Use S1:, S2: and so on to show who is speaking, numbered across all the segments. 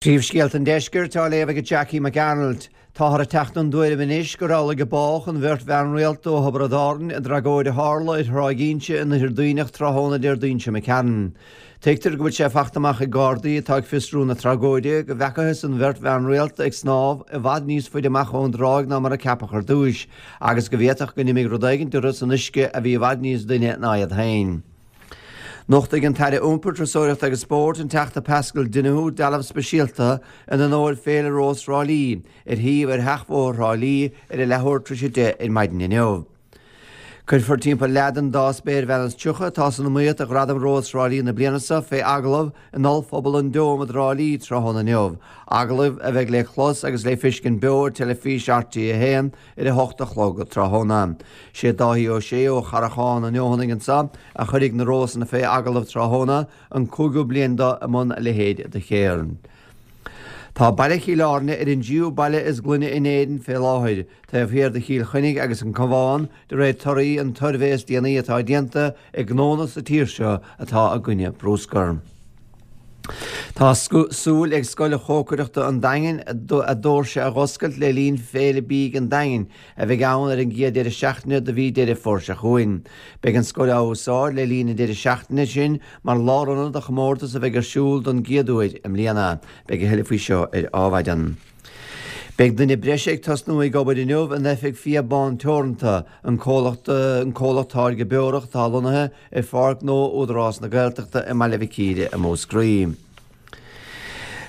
S1: Príomhscéalta an Deiscirt á léamh ag Jackie McArnold. Táthar ag teacht don dtuairim anois gur amhlaidh a bádh an bheirt bhean rialta ó Thiobraid Árann i dtragóid a tharla ar Thráigh Inse in Oirthear Duibhneach tráthnóna Déardaoin seo imigh tharainn. Tuigtear go bhfuil sé fachta amach ag Gardaí atá ag fiosrú na tragóide go bhfeacathas an bheirt bhean rialta ag snámh i bhfad níos faide amach ón dtráigh ná mar a ceapadh ar dtúis agus go bhféadfadh go n-imigh rud éigint orthu san uisce a bhí i bhfad níos doimhne ná iad féin. Nochtfaidh an tAire Iompair, Turasóireachta agus Spóirt, an Teachta Paschal Donohoe, dealbh speisialta in onóir Féile Rós Thrá Lí, ar shuíomh ar Sheachbhóthar Thrá Lí ar a leathuair tar éis 10 ar maidin inniu. Cuirfear timpeall leath den dá spéirbhean is 30 atá san iomaíocht do Ghradam Rós Thrá Lí na bliana seo fé agallamh in Ollphuball an Dome i dTrá Lí tráthnóna inniu, agallamh a bheidh le clos agus le feiscint beo ar teilifís RTÉ 1 ar a hocht a chlog tráthnóna. Sé Dáithí Ó Sé ó Charrachán an Fheothanaigh anso a chuirfidh na rósanna fé agallamh tráthnóna, an cúigiú bliain do i mbun a leithéid de cheird. Tá baile Chill Airne ar an dtríú baile is glaine in Éirinn fé láthair, taobh thiar de Chill Chainnigh agus an Cabhán, de réir torthaí an tsuirbhé is déanaí atá déanta ag gnónna sa tír seo atá i gcoinne brúscar. Tá súil ag Scoil Chócaireachta an Daingin a doirse a dh'oscailt le linn Féile Bídh an Daingin a bheidh ann ar an gcéad deireadh seachtaine de mhí Deireadh Fómhair seo chugainn. Beidh an scoil á úsáid le linn an deireadh seachtaine sin mar lárionad do chomórtas a bheidh ar siúl don gcéad uair i mbliana. Beidh a thuilleadh faoi seo ar Adhmhaidin. Beidh duine breise ag tosnú ag obair inniu in oifig Fia Bán Teoranta, an comhlacht an comhlacht táirge beorach atá lonnaithe ar Pháirc Ghnó Údarás na Gaeltachta i mBaile Mhic Íre i Múscraí.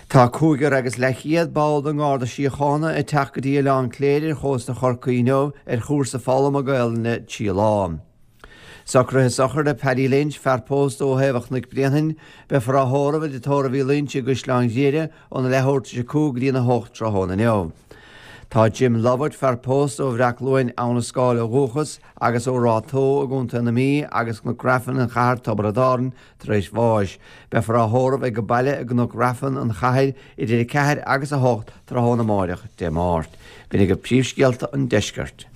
S1: Tá cúigear agus leathchéad ball den nGarda Síochána ag teacht go dtí Oileán Cléire ar chósta Chorcaí inniu ar chúrsa foghlama Gaelainne 3 lá. Socruithe sochraide Paddy Lynch, fear pósta ó thaobh an Chnoic Bréanainn, beifear á thórramh i dtigh tórraimh Uí Loinsigh i gCaisleán Ghriaire óna leathuair tar éis a 5 go dtí'n 8 tráthnóna inniu. Tá Jim Lovett, fear pósta ó Bhreac-Luain, Abha na Scáil ó dhúchas, agus ó Ráth Tó i gContae na Mí agus Cnoc Raifin, an Chathair, Tiobraid Árann, tar éis bháis. Beifear á thórramh ag baile i gCnoc Raifin, an Chathair, idir 4 agus 8 tráthnóna amáireach, Dé Máirt. B'in agaibh príomhscéalta an deiscirt.